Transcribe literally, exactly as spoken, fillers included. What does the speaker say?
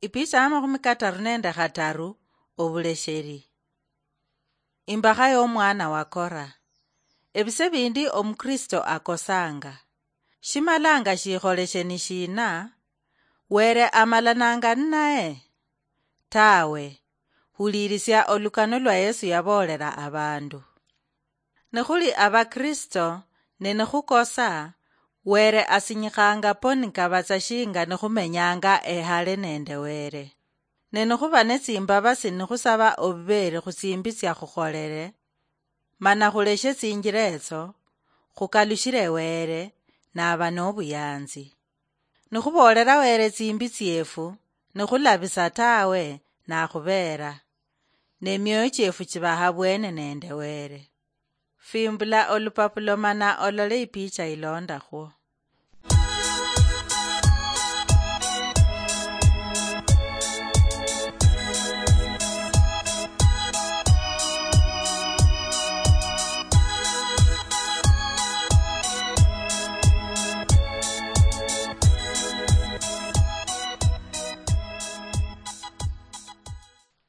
Ipicha ya makhumi kataru nende khataru. Obulesheri. Imbakha y'omwana wa Kora. Ebise bindi omukristo akosanga. Shimalanga shikholeshe ni shina? Were amalananga ninaye? Tawe. Hulirisia olukano lwa Yesu yaboolera abandu. Nikhuli abakristo, ne nikhukosa, Were asinyikhanga po nikabatsa shinga nikhumenyanga ehale nende Were. Ne nikhuba netsimbabasi nikhusaba obubeeri khutsimbi tsiakhukholere, mana khuleshe tsinjila etso, khukalushile Were, naba nobuyanzi. Nikhuboolera Were tsimbi tsiefu, nikhulabisa tawe, nakhubeera. Ne mioyo chiefu chiba habwene nende Were. Fimbula olupapulo mana olole ipicha ilondakhwo.